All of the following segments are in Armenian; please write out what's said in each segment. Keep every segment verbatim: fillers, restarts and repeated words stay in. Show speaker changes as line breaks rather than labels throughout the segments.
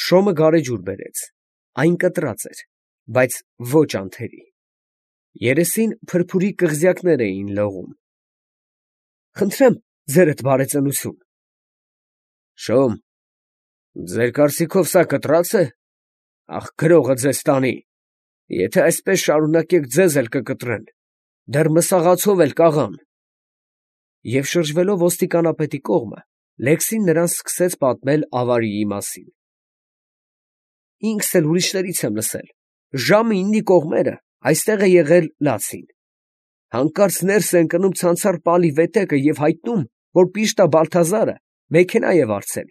շոմը գարեջուր բերեց, այն կտրած էր, բայց ոչ անթերի, երեսին փրփուրի կղզյակներ էին լողում։ ֊ Խնդրեմ ձերդ բարեծնություն։ ֊ Շոմ, ձեր կարծիքով սա կտրած է. աղ, գրողը ձեզ տանի, եթե այսպես շարունակեք, ձեզ էլ կկտրեն, դեռ մսաղացով էլ կաղան։ Եվ շրջվելով ոստիկանապետի կողմը, Լեքսին նրան սկսեց պատմել ավարիի մասին։ Ինքս էլ ուրիշներից եմ լսել, ժամը իննի կողմերը այստեղ է եղել լացին, հանկարծ ներս է ընկնում ցանցառ պալի վետեկը և հայտնում, որ Պիշտա Բալթազարը մեքենա է վարձել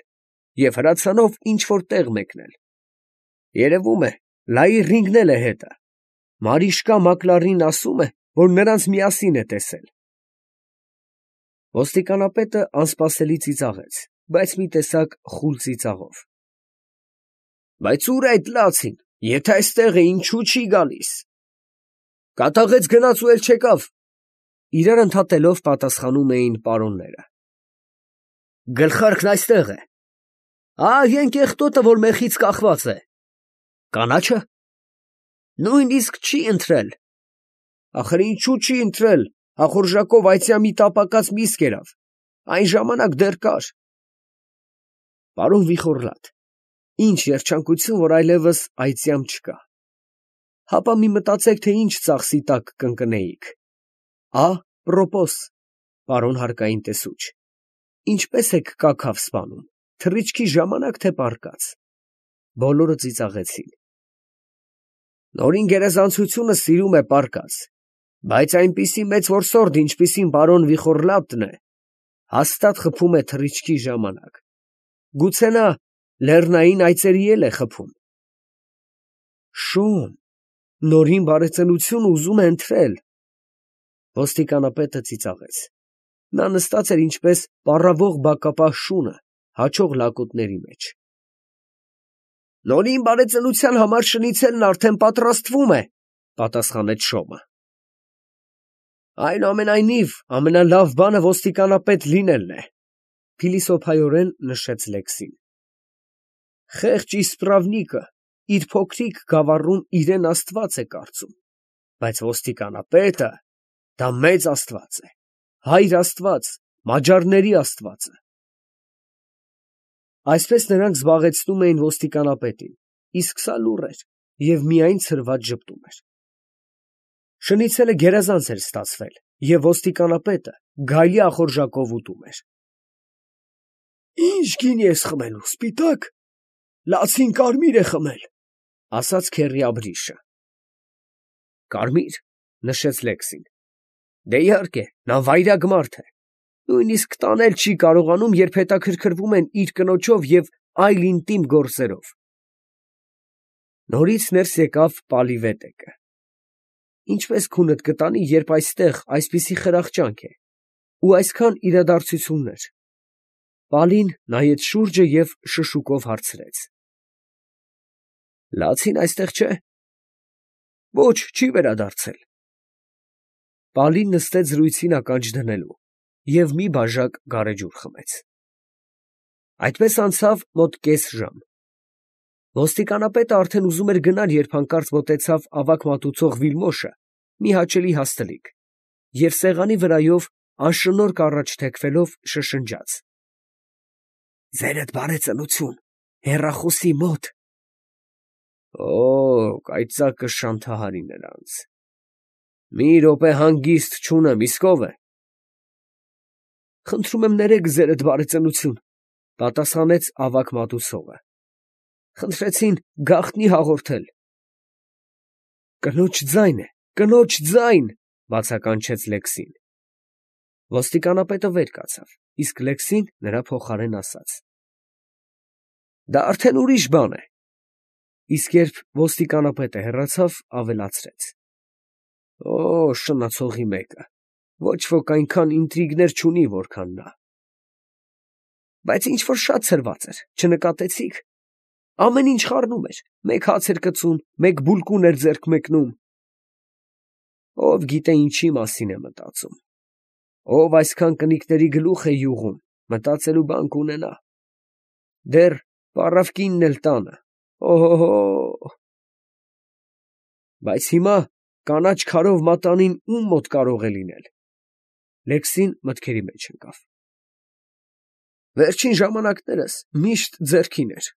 և հրացանով ինչ որ տեղ մեկնել, երևում է, լայի ռինգնել է հետը, Մարիշկա Մակլարին ասում է, որ նրանց միասին է տեսել։ Ոստիկանապետը անսպասելի ծիծաղեց, բայց մի տեսակ խուլ ծիծաղով։ Բայց ո՞ւր է այդ լացին, եթե այստեղ է, ինչու չի գալիս։ Կատաղեց գնաց ու էլ չեկավ, իրար ընդհատելով պատասխանում էին պարոնները։ Գլխարկն այստեղ է։ Ահ, այն կեղտոտը, որ մեխից կախված է։ Կանաչը։ Նույնիսկ չի ընթրել։ Ախր ինչու չի ընթրել, ախորժակով այծյամի տապակած միս կերավ, այն ժամանակ դեռ կար։ Պարոն Վիխոռլատ, ինչ երջանկություն, որ այլևս այծյամ չկա։ Հապա մի մտածեք, թե ինչ ծախսի տակ կընկնեիք։ Ա, պրոպոս, պարոն հարկային տեսուչ, ինչպես եք կաքավ սպանում, թռիչքի ժամանակ թե պառկած։ Բոլորը ծիծաղեցին։ Նորին գերազանցությունը սիրում է պառկած, բայց այնպիսի մեծ որսորդ, ինչպիսին պարոն Վիխոռլատն է, հաստատ խփում է թռիչքի ժամանակ։ Գուցե նա լեռնային այծերի էլ է խփում։ Շոմ, նորին բարեծնություն ուզում է ընթրել։ Ոստիկանապետը ծիծաղեց։ Նա նստած էր ինչպես պառավող բակապահ շունը, հաչող լակոտների մեջ։ Նորին բարեծնության համար շնիցելն արդեն պատրաստվում է, պատասխանեց Շոմը։ Այնուամենայնիվ, ամենալավ բանը ոստիկանապետ լինելն է, փիլիսոփայորեն նշեց Լեքսին։ Խեղճ իսպրավնիկը իր փոքրիկ գավառում իրեն աստված է կարծում, բայց ոստիկանապետը դա մեծ աստված է, հայր աստված, մաջարների աստվածը։ Այսպես նրանք զբաղեցնում էին ոստիկանապետին, իսկ սա լուռ էր և միայն ցրված ժպտում էր։ Շնիցելը գերազանց էր ստացվել, և ոստիկանապետը գայլի ախորժակով ուտում էր։ Ի՞նչ գինի ես խմելու, սպիտակ, լացին կարմիր է խմել, ասաց քեռի Աբրիշը։ Կարմիր, նշեց Լեքսին։ Դե իհարկե, նա վայրագ մարդ է, նույնիսկ տանել չի կարողանում, երբ հետաքրքրվում են իր կնոջով և այլ ինտիմ գործերով։ Նորից ներս եկավ պալի վետեկը։ Ինչպես քունդ կտանի, երբ այստեղ այսպիսի խրախճանք է ու այսքան իրադարձություններ։ Պալին նայեց շուրջը և շշուկով հարցրեց. Լացին այստեղ չէ։ Ոչ, չի վերադարձել։ Պալին նստեց զրույցին ականջ դնելու և մի բաժակ գարեջուր խմեց։ Այդպես անցավ մոտ կես ժամ։ Ոստիկանապետը արդեն ուզում էր գնալ, երբ հանկարծ մոտեցավ ավագ մատուցող Վիլմոշը մի հաճելի հաստլիկ և սեղանի վրայով անշնորհք առաջ թեքվելով շշնջաց. Ձերդ բարեծնություն, հեռախոսի մոտ։ Օ, կայծակը շանթահարի նրանց։ Մի րոպե հանգիստ չունեմ, իսկ ով է։ Խնդրում եմ ներեք ձերդ բարեծնություն, պատասխանեց ավագ մատուցողը։ Խնդրեցին գաղտնի հաղորդել։ Կնոջ ձայն է, կնոջ ձայն, բացականչեց Լեքսին։ Ոստիկանապետը վեր կացավ, իսկ Լեքսին նրա փոխարեն ասաց. Դա արդեն ուրիշ բան է։ Իսկ երբ ոստիկանապետը հեռացավ, ավելացրեց. Օ, շնացողի մեկը, ոչ ոք այնքան ինտրիգներ չունի, որքան նա։ Բայց ինչ որ շատ ցրված էր, չնկատեցիք։ Ամեն ինչ խառնում էր, մեկ հաց էր կծում, մեկ բուլկուն էր ձեռք մեկնում։ Ով գիտե ինչի մասին է մտածում։ Ով այսքան կնիկների գլուխ է յուղում, մտածելու բան կունենա։ Դեռ Պառավ կինն էլ տանը, օհո, բայց հիմա կանաչ քարով մատանին ում մոտ կարող է լինել։ Լեքսին մտքերի մեջ ընկավ։ Վերջին ժամանակներս միշտ ձեռքին էր։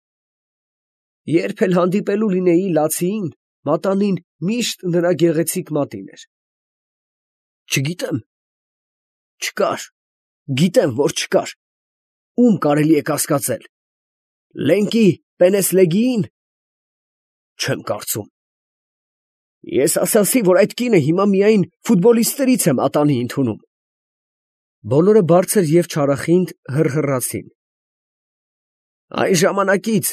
Երբ էլ հանդիպելու լինեի լացիին, մատանին միշտ նրա գեղեցիկ մատին էր։ Չգիտեմ, չկար, գիտեմ, որ չկար։ Ում կարելի է կասկածել։ Լենկի Պենեսլեգիին։ Չեմ կարծում։ Ես ասացի, որ այդ կինը հիմա միայն ֆուտբոլիստներից է մատանի ընդունում։ Բոլորը բարձր և չարախինդ հռհռացին։ Այն ժամանակից,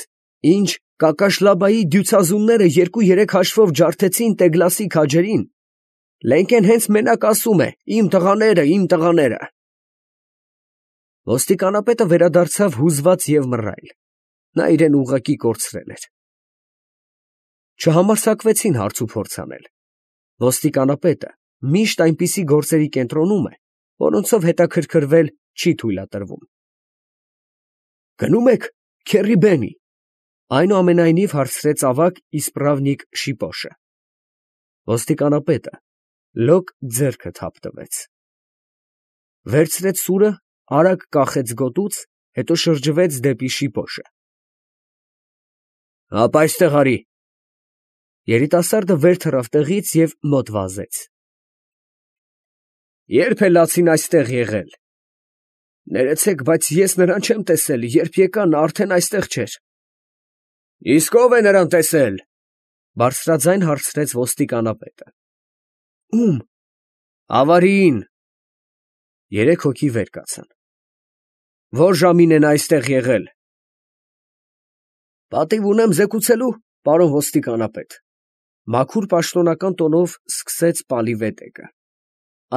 ինչ Կակաշլաբայի դյուցազունները երկու-երեք հաշվով ջարդեցին Տեգլասի քաջերին, Լենկեն հենց մենակ ասում է. «Իմ տղաները, իմ տղաները»։ Ոստիկանապետը վերադարձավ հուզված և մռայլ. նա իրեն ուղղակի կորցրել էր։ Չհամարձակվեցին հարց ու փորձ անել։ Ոստիկանապետը միշտ այնպիսի գործերի կենտրոնում է, որոնցով հետաքրքրվել չի թույլատրվում։ Գնո՞ւմ եք քեռի Բենի, այնուամենայնիվ հարցրեց ավագ իսպրավնիկ Շիպոշը։ Ոստիկանապետը լոկ ձեռքը թափ տվեց։ Վերցրեց սուրը, արագ կախեց գոտուց, հետո շրջվեց դեպի Շիպոշը։ Հապա այստեղ արի։ Երիտասարդը վեր թռավ տեղից և մոտ վազեց։ Ե՞րբ է լացին այստեղ եղել։ Ներեցեք, բայց ես նրան չեմ տեսել, երբ եկա, նա արդեն այստեղ չէր։ Իսկ ո՞վ է նրան տեսել, բարձրաձայն հարցրեց ոստիկանապետը։ Ում։ Ավարիին։ Երեք հոգի վեր կացան։ Ո՞ր ժամին է նա այստեղ եղել։ Պատիվ ունեմ զեկուցելու, պարոն ոստիկանապետ։ Մաքուր պաշտոնական տոնով սկսեց Պալիվետեկը,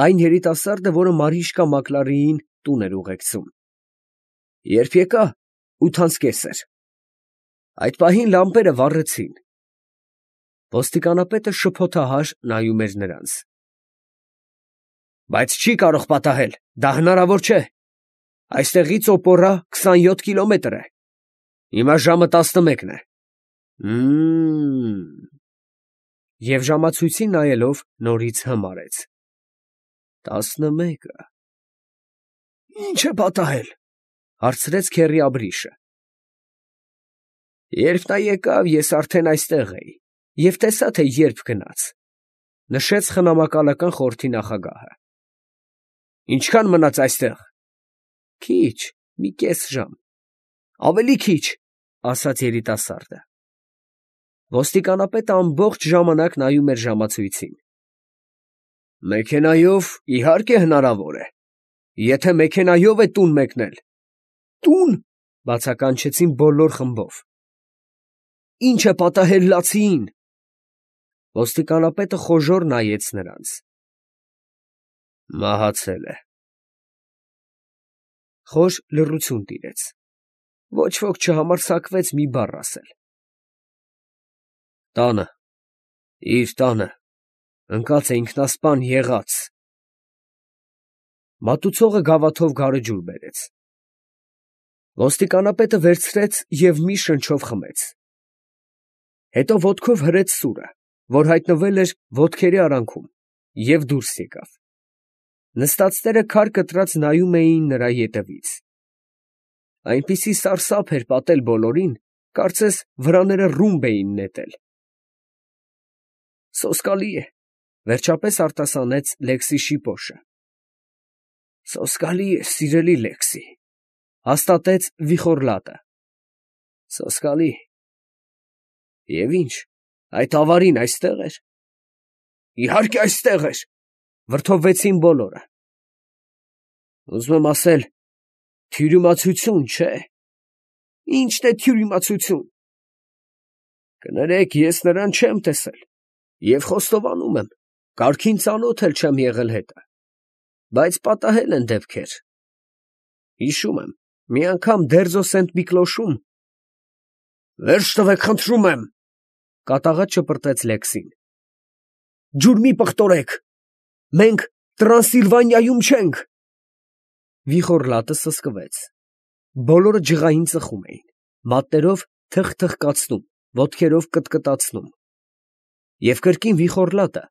այն երիտասարդը, որը Մարիշկա Մակլարիին տուն էր ուղեկցում։ Երբ եկա, ութանց կես էր։ Այդ պահին լամպերը վառեցին։ Ոստիկանապետը շփոթահար նայում էր նրանց։ Բայց չի կարող պատահել, դա հնարավոր չէ։ Այստեղից օպորա քսանյոթ կիլոմետր է։ Հիմա ժամը տասնմեկն է։ Մմ… Եվ ժամացույցին նայելով նորից հմ արեց։ Տասնմեկը… Ի՞նչ է պատահել, հարցրեց քեռի Աբրիշը։ Երբ նա եկավ, ես արդեն այստեղ էի և տեսա, թե երբ գնաց, նշեց խնամակալական խորհրդի նախագահը։ Ինչքան մնաց այստեղ։ Քիչ, մի կես ժամ։ Ավելի քիչ, ասաց երիտասարդը։ Ոստիկանապետը ամբողջ ժամանակ նայում էր ժամացույցին։ Մեքենայով, իհարկե, հնարավոր է, եթե մեքենայով է տուն մեկնել։ Տուն, բացականչեցին բոլոր խմբով։ Ինչ է պատահել լացիին։ Ոստիկանապետը խոժոռ նայեց նրանց։ Մահացել է։ Խոր լռություն տիրեց։ Ոչ ոք չհամարձակվեց մի բառ ասել։ Տանը, իր տանը, ընկած է ինքնասպան եղած։ Մատուցողը գավաթով գարեջուր բերեց։ Ոստիկանապետը վերցրեց և մի շնչով խմեց։ Հետո ոտքով հրեց սուրը, որ հայտնվել էր ոտքերի արանքում, և դուրս եկավ։ Նստածները քար կտրած նայում էին նրա ետևից։ Այնպիսի սարսափ էր պատել բոլորին, կարծես վրաները ռումբ էին նետել։ Սոսկալի է, վերջապես արտասանեց Լեքսի Շիպոշը։ Սոսկալի է, սիրելի Լեքսի, հաստատեց Վիխոռլատը։ Սոսկալի։ Եվ ի՞նչ, այդ ավարին այստեղ էր։ Իհարկե այստեղ էր, վրդովվեցին բոլորը։ Ուզում եմ ասել, թյուրիմացություն, չէ։ Ի՞նչն է թյուրիմացություն։ Կներեք, ես նրան չեմ տեսել և խոստովանում եմ, կարգին ծանոթ էլ չեմ եղել հետը, բայց պատահել են դեպքեր։ Հիշում եմ, մի անգամ Դերձո Սենտ Միկլոշում… Վերջ տվեք, խնդրում եմ, կատաղած շպրտեց Լեքսին։ Ջուր մի պղտորեք, մենք Տրանսիլվանիայում չենք։ Վիխոռլատը սսկվեց։ Բոլորը ջղային ծխում էին, մատներով թխթխկացնում, ոտքերով կտկտացնում։ Եվ կրկին Վիխոռլատը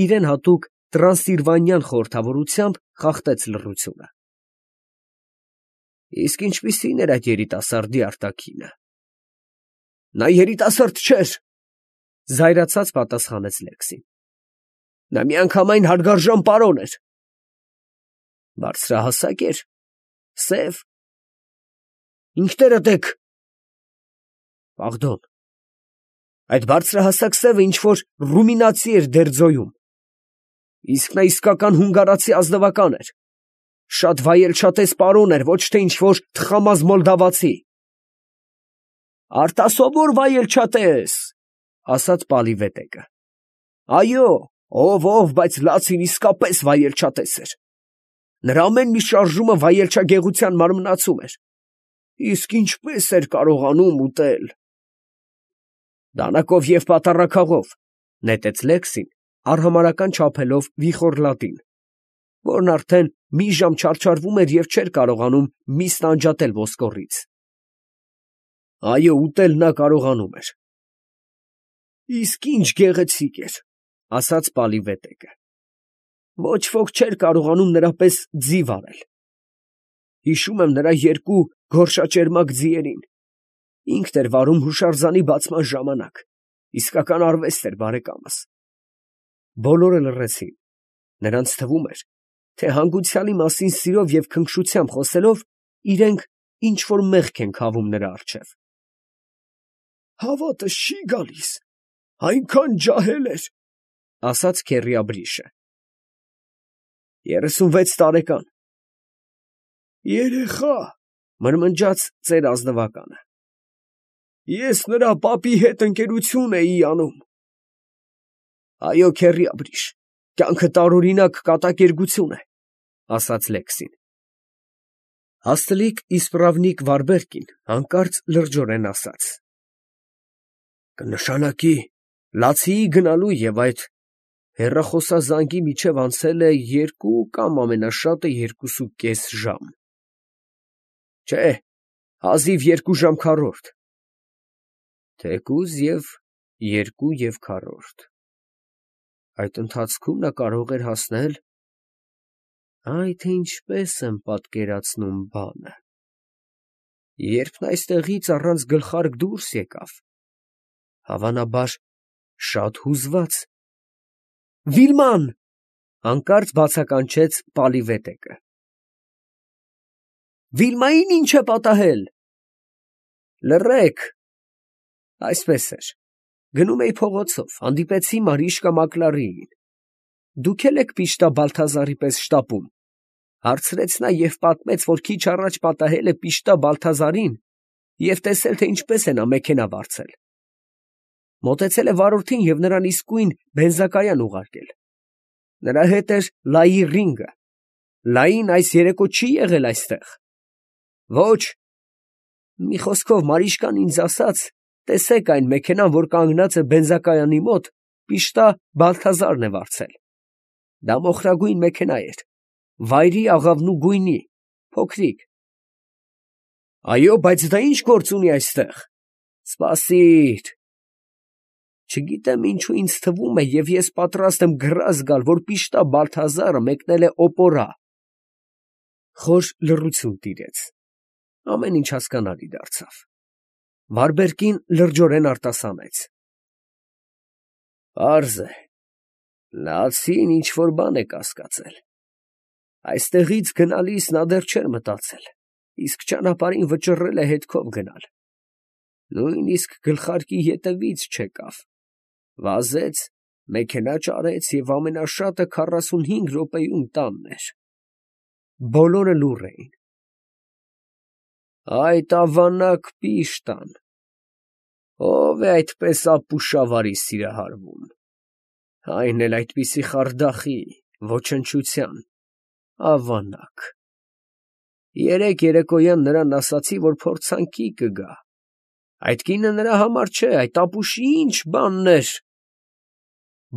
իրեն հատուկ տրանսիլվանյան խորհրդավորությամբ խախտեց լռությունը։ Իսկ ինչպիսի՞ն էր այդ երիտասարդի արտաքինը։ Նա երիտասարդ չէր, զայրացած պատասխանեց Լեքսին։ Նա միանգամայն հարգարժան պարոն էր։ Բարձրահասակ էր, սև։ Ինքներդ եք։ Պարդոն, այդ բարձրահասակ սևը ինչ-որ ռումինացի էր դերձոյում։ Իսկ նա իսկական հունգարացի ազնվական էր։ Շատ վայելչատես պարոն էր, ոչ թե ինչ-որ թխամազ մոլդավացի։ Արտասովոր վայելչատես, ասաց Պալիվետեկը։ Այո, ով ով, բայց լացին իսկապես վայելչատես էր։ Նրա ամեն մի շարժումը վայելչագեղության մարմնացում էր։ Իսկ ինչպես էր կարողանում ուտել։ Դանակով և պատառաքաղով, նետեց Լեքսին, արհամարհական չափելով Վիխոռլատին, որն արդեն մի ժամ չարչարվում էր և չէր կարողանում միսն անջատել ոսկորից։ Այո, ուտել նա կարողանում էր։ Իսկ ինչ գեղեցիկ էր, ասաց Պալիվետեկը։ Ոչ ոք չէր կարողանում նրա պես ձի վարել։ Հիշում եմ նրա երկու գորշաճերմակ ձիերին։ Ինքն էր վարում հուշարձանի բացման ժամանակ։ Իսկական արվեստ էր, բարեկամս։ Բոլորը լռեցին։ Նրանց թվում էր, թե հանգուցյալի մասին սիրով և քնքշությամբ խոսելով, իրենք ինչ֊որ մեղք են քավում նրա առջև։ Հավատս չի գալիս, այնքան ջահել էր, ասաց քեռի երեսունվեց տարեկան։ Երեխա, մրմնջաց ծեր ազնվականը։ Ես նրա պապի հետ ընկերություն էի անում։ Այո, քեռի Աբրիշ, կյանքը տարօրինակ կատակերգություն է, ասաց Լեքսին։ Հաստլիկ իսպրավնիկ Վարբերկին հանկարծ լրջորեն ասաց. Կնշանակի լացիի գնալու և այդ հեռախոսազանգի միջև անցել է երկու կամ ամենաշատը երկուսուկես ժամ։ Չէ, հազիվ երկու ժամ քառորդ։ Թեկուզ և երկու և քառորդ։ Այդ ընթացքում նա կարող էր հասնել… Այ թե ինչպես եմ պատկերացնում բանը… Երբ նա այստեղից առանց գլխարկ դուրս եկավ, հավանաբար, շատ հուզված… Վիլման… հանկարծ բացականչեց Պալիվետեկը։ Վիլմային ի՞նչ է պատահել։ Լռեք… Այսպես էր. գնում էի փողոցով, հանդիպեցի Մարիշկա Մակլարիին։ Դուք էլ եք պիշտա Բալթազարի պես շտապում, հարցրեց նա և պատմեց, որ քիչ առաջ պատահել է պիշտա Բալթազարին և տեսել, թե ինչպես է նա մեքենա վարձել։ Մոտեցել է վարորդին և նրան իսկույն բենզակայան ուղարկել։ Նրա հետ էր Լայի ռինգը։ Լային այս երեկո չի եղել այստեղ։ Ոչ։ Մի խոսքով, Մարիշկան ինձ ասաց, տեսեք այն մեքենան, որ կանգնած է բենզակայանի մոտ, պիշտա Բալթազարն է վարձել։ Դա մոխրագույն մեքենա էր, վայրի աղավնու գույնի, փոքրիկ։ Այո, բայց դա ի՞նչ գործ ունի այստեղ։ Սպասիր… Չգիտեմ ինչու ինձ թվում է, և ես պատրաստ եմ գրազ գալ, որ պիշտա Բալթազարը մեկնել է օպորա։ Խոր լռություն տիրեց։ Ամեն ինչ հասկանալի դարձավ։ Վարբերկին լրջորեն արտասանեց. Պարզ է, լացին ինչ֊որ բան է կասկածել։ Այստեղից գնալիս նա դեռ չէր մտածել, իսկ ճանապարհին վճռել է հետքով գնալ։ Նույնիսկ գլխարկի ետևից չեկավ, վազեց, մեքենա ճարեց և ամենաշատը քառասունհինգ րոպեում տանն էր։ Բոլորը լուռ էին։ Այդ ավանակ պիշտան… Ո՞վ է այդպես ապուշավարի սիրահարվում… Այն էլ այդպիսի խարդախի, ոչնչության… ավանակ… Երեկ երեկոյան նրան ասացի, որ փորձանքի կգա… Այդ կինը նրա համար չէ, այդ ապուշի ի՞նչ բանն էր…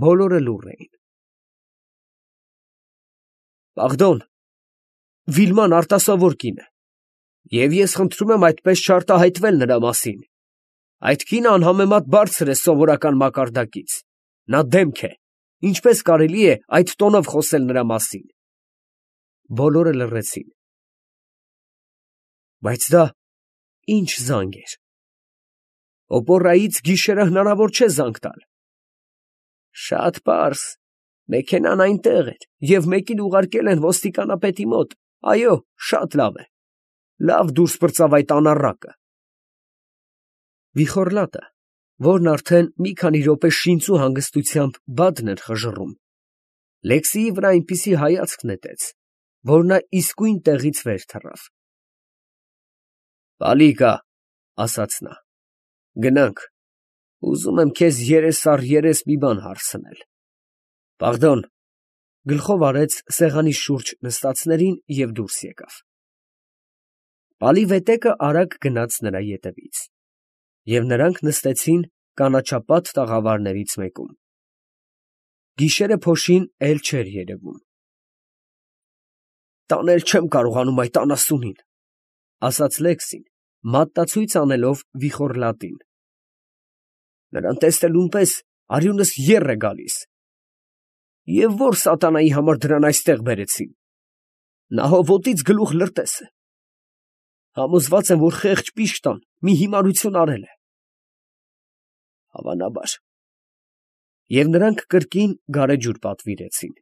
Բոլորը լուռ էին։ Պարդոն, Վիլման արտասովոր կին է, և ես խնդրում եմ այդպես չարտահայտվել նրա մասին։ Այդ կինը անհամեմատ բարձր է սովորական մակարդակից. նա դեմք է, ինչպես կարելի է այդ տոնով խոսել նրա մասին։ Բոլորը լռեցին։ Բայց դա ի՞նչ զանգ էր։ Օպոռայից գիշերը հնարավոր չէ զանգ տալ։ Շատ պարզ, մեքենան այնտեղ էր, և մեկին ուղարկել են ոստիկանապետի մոտ, այո, շատ լավ է, լավ դուրս պրծավ այդ անառակը։ Վիխոռլատը, որն արդեն մի քանի րոպե շինծու հանգստությամբ բադն էր խժռում, Լեքսիի վրա այնպիսի հայացք նետեց, որ նա իսկույն տեղից վեր թռավ։ «Պալիկա, ֊ ասաց նա, ֊ գնանք, ուզում եմ քեզ երես առ երես մի բան հարցնել»։ «Պարդոն», ֊ գլխով արեց սեղանի շուրջ նստածներին և դուրս եկավ։ Պալի֊վետեկը արագ գնաց նրա ետևից, և նրանք նստեցին կանաչապատ տաղավարներից մեկում։ Գիշերը փոշին էլ չէր երևում։ «Տանել չեմ կարողանում այդ անասունին, ֊ ասաց Լեքսին, մատնացույց անելով Վիխոռլատին։ Նրան տեսնելուն պես արյունս եռ է գալիս։ Եվ ո՞ր սատանայի համար դրան այստեղ բերեցին. նա հո ոտից գլուխ լրտես է։ Համոզված եմ, որ խեղճ պիշտան մի հիմարություն արել է։ Հավանաբար։ Եվ նրանք կրկին գարեջուր պատվիրեցին։